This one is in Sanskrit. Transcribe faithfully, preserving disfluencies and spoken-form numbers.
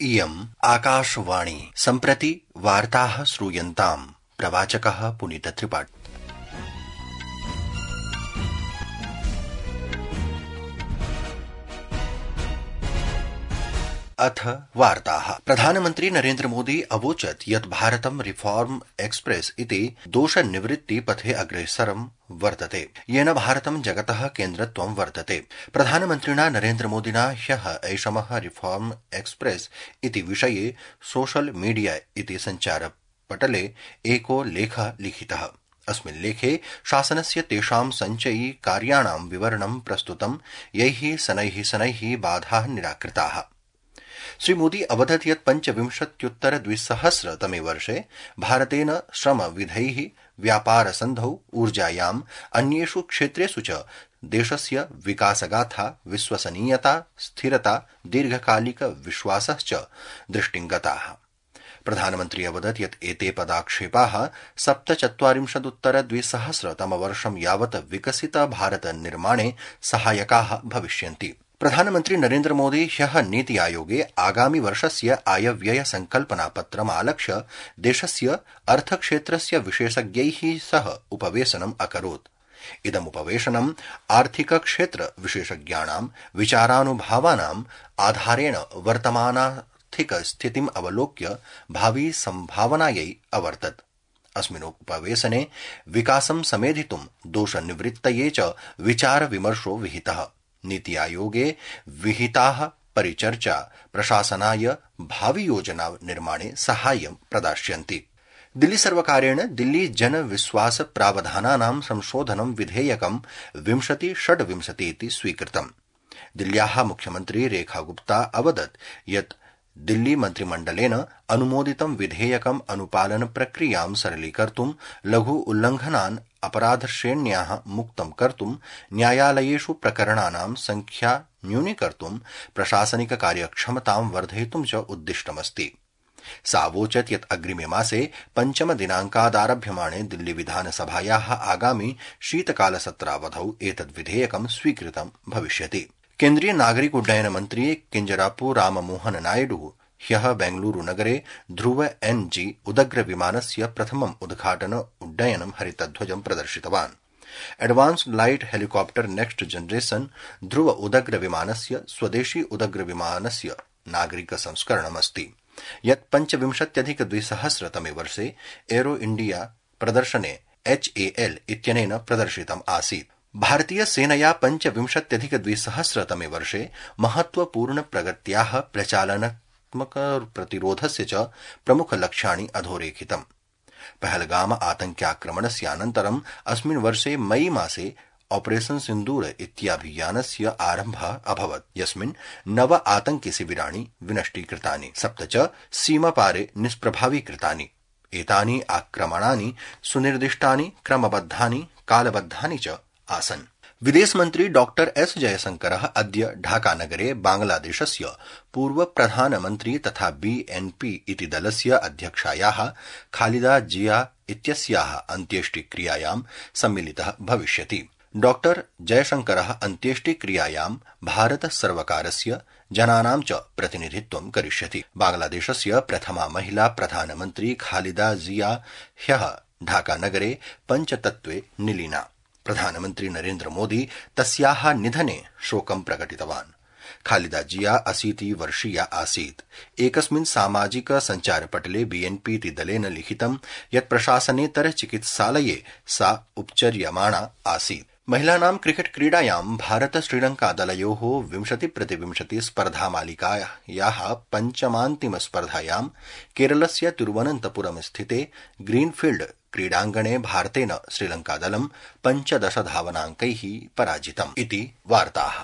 इयम् आकाशवाणी सम्प्रति वार्ताः श्रूयन्ताम् प्रवाचकः पुनीत त्रिपाठी। अथ वार्ताः। प्रधानमन्त्री नरेन्द्र मोदी अवोचत् यत् भारतं रिफॉर्म एक्सप्रेस इति दोषनिवृत्ति पथे अग्रेसरं वर्तते, येन भारतं जगतः केन्द्रत्वं वर्तते। प्रधानमन्त्रिणा नरेन्द्र मोदिना ह्यः ऐषमः रिफॉर्म एक्सप्रेस इति विषये सोशल मीडिया इति सञ्चारपटले एको लेखः लिखितः। अस्मिन् लेखे शासनस्य तेषां सञ्चयी कार्याणां विवरणं प्रस्तुतं, यैः शनैः शनैः बाधाः निराकृताः। श्री मोदी अवदत् यत् पञ्चविंशत्युत्तर द्विसहस्रतमे वर्षे भारतेन श्रमविधैः व्यापारसन्धौ ऊर्जायाम् अन्येषु क्षेत्रेषु च देशस्य विकासगाथा विश्वसनीयता स्थिरता दीर्घकालिक विश्वासश्च दृष्टिङ्गताः। प्रधानमन्त्री अवदत् यत् एते पदाक्षेपाः सप्तचत्वारिंशदुत्तर द्विसहस्रतमवर्षं यावत् विकसित भारत निर्माणे सहायकाः भविष्यन्ति। प्रधानमन्त्री नरेन्द्र मोदी ह्यः नीति आयोगे आगामि वर्षस्य आयव्यय संकल्पनापत्रम् आलक्ष्य देशस्य अर्थक्षेत्रस्य विशेषज्ञैः सह उपवेशनम् अकरोत्। इदमुपवेशनम् आर्थिकक्षेत्र विशेषज्ञानां विचारानुभावानाम् आधारेण वर्तमानार्थिक स्थितिम् अवलोक्य भावी सम्भावनायै अवर्तत्। अस्मिन् उपवेशने विकासं समेधितुं दोषनिवृत्तये च विचार विमर्शो विहितः। नीति आयोगे विहिताः परिचर्चा प्रशासनाय भावी योजना निर्माणे साहाय्यं प्रदास्यन्ति। दिल्ली सर्वकारेण दिल्ली जन विश्वास प्रावधानानां संशोधनं विधेयकं विंशति षड्विंशति इति स्वीकृतम्। दिल्ल्याः मुख्यमन्त्री रेखा गुप्ता अवदत् यत् दिल्ली मन्त्रिमण्डलेन अनुमोदितं विधेयकम् अनुपालन प्रक्रियां सरलीकर्तुं, लघु उल्लङ्घनान् अपराधश्रेण्याः मुक्तं कर्तुं, न्यायालयेषु प्रकरणानां संख्या न्यूनीकर्तुं, प्रशासनिक कार्यक्षमतां वर्धयितुं च उद्दिष्टमस्ति। सा अवोचत् यत् अग्रिमे मासे पञ्चम दिनाङ्कादारभ्यमाणे दिल्ली विधानसभायाः आगामि शीतकालसत्रावधौ एतद् विधेयकं स्वीकृतं भविष्यति। केन्द्रीय नागरिक उड्डयन मन्त्री किंजरापु राममोहन नायडू ह्यः बेंगलुरु नगरे ध्रुव एन जी उदग्र विमानस्य प्रथमम् उद्घाटन उड्डयनं हरितध्वजं प्रदर्शितवान्। Advanced light helicopter next generation Dhruv उदग्र विमानस्य स्वदेशी उदग्र विमानस्य नागरिक संस्करणमस्ति, यत् पञ्चविंशत्यधिक द्विसहस्रतमे वर्षे एरो इंडिया प्रदर्शने एच ए एल इत्यनेन प्रदर्शितम् आसीत्। भारतीय सेनया पञ्चविंशत्यधिक द्विसहस्रतमे वर्षे महत्वपूर्ण प्रगत्याः प्रचालनात्मक प्रतिरोधस्य च प्रमुखलक्ष्याणि अधोरेखितम्। पहलगाम आतङ्क्याक्रमणस्यानन्तरम् अस्मिन् वर्षे मई मासे ऑपरेशन सिन्दूर इत्याभियानस्य आरम्भः अभवत्, यस्मिन् नव आतङ्कि शिबिराणि विनष्टीकृतानि, सप्त च सीमापारे निष्प्रभावीकृतानि। एतानि आक्रमणानि सुनिर्दिष्टानि, क्रमबद्धानि, कालबद्धानि च आसन्। विदेशमन्त्री डॉक्टर एस जयशंकरः अद्य ढाकानगरे बांग्लादेशस्य पूर्व प्रधानमन्त्री तथा बीएनपी इति दलस्य अध्यक्षायाः खालिदा जिया इत्यस्याः अन्त्येष्टिक्रियायां सम्मिलितः भविष्यति। डॉक्टर जयशंकरः अन्त्येष्टिक्रियायां भारत सर्वकारस्य जनानां च प्रतिनिधित्वं करिष्यति। बांग्लादेशस्य प्रथमा महिला प्रधानमन्त्री खालिदा जिया ह्यः ढाकानगरे पञ्चतत्त्वे निलीना। प्रधानमन्त्री नरेन्द्र मोदी तस्याः निधने शोकं प्रकटितवान्। खालिदा जिया अशीति वर्षीया आसीत्। एकस्मिन् सामाजिक सञ्चारपटले बीएनपी इति दलेन लिखितं यत् प्रशासनेतर चिकित्सालये सा उपचर्यमाणा आसीत्। महिलानां क्रिकेट क्रीडायां भारत श्रीलंका दलयोः विंशति प्रतिविंशति स्पर्धामालिकायाः पञ्चमान्तिम स्पर्धायां केरलस्य तिरुवनन्तपुरम स्थिते ग्रीनफील्ड क्रीडाङ्गणे भारतेन श्रीलंकादलं पञ्चदश धावनाङ्कैः पराजितम् इति वार्ताः।